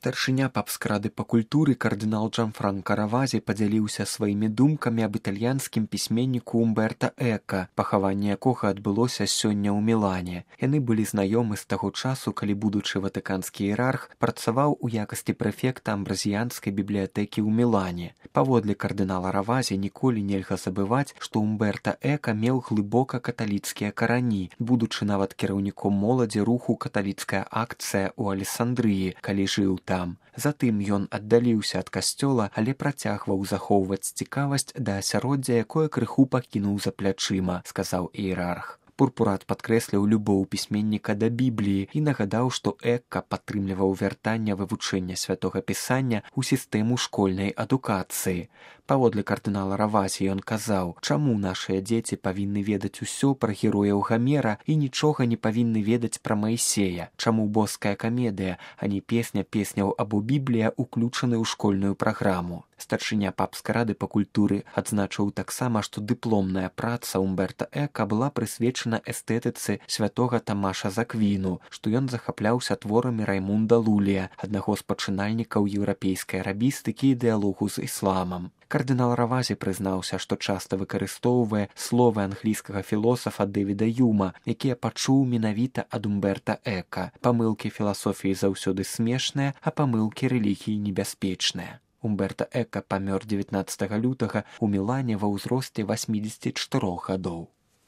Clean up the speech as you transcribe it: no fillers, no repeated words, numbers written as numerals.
Старшыня папскрады па культуры кардынал Джанфранка Равазі падзяліўся сваімі думкамі аб італьянскім пісьменніку Умберта Эка, пахаванне якога адбылося сёння ў Мілане. Яны былі знаёмы з таго часу, калі будучы ватыканскі іерарх працаваў у якасці прэфекта амбразіянскай бібліятэкі ў Мілане. Паводле кардынала Равазі ніколі нельга забываць, што Умберта Эка меў глыбока каталіцкія карані, будучы нават кіраўніком моладзі руху «Каталіцкая акцыя» ў Алесандрыі, калі жыў там. Затым ён аддаліўся ад касцёла, але працягваў захоўваць цікавасць да асяроддзя, якое крыху пакінуў за плячыма, сказаў іерарх. Пурпурат падкрэсліў любоў пісьменніка да Бібліі і нагадаў, што Эка падтрымліваў вяртанне вывучэння святога пісання ў сістэму школьнай адукацыі. Паводле кардынала Равазі ён казаў, чаму нашыя дзеці павінны ведаць усё пра герояў Гамера і нічога не павінны ведаць пра Маісея, чаму боская камедыя, а не песня песняў або Біблія уключаны ў школьную праграму. Старшыня папскай рады па культуры адзначыў таксама, што дыпломная праца Умберта Эка была прысвечана эстэтыцы святога Тамаша з Аквіну, што ён захапляўся творамі Раймунда Лулія, аднаго з пачынальнікаў еўрапейскай арабістыкі і дыялогу з ісламам. Кардынал Равазі прызнаўся, што часта выкарыстоўвае словы англійскага філосафа Дэвіда Юма, якія пачуў менавіта ад Умберта Эка. Памылкі філасофіі заўсёды смешныя, а памылкі рэлігіі небяспечныя. Умберта Эка памёр 19 лютага ў Мілане ва ўзросце 84 гадоў.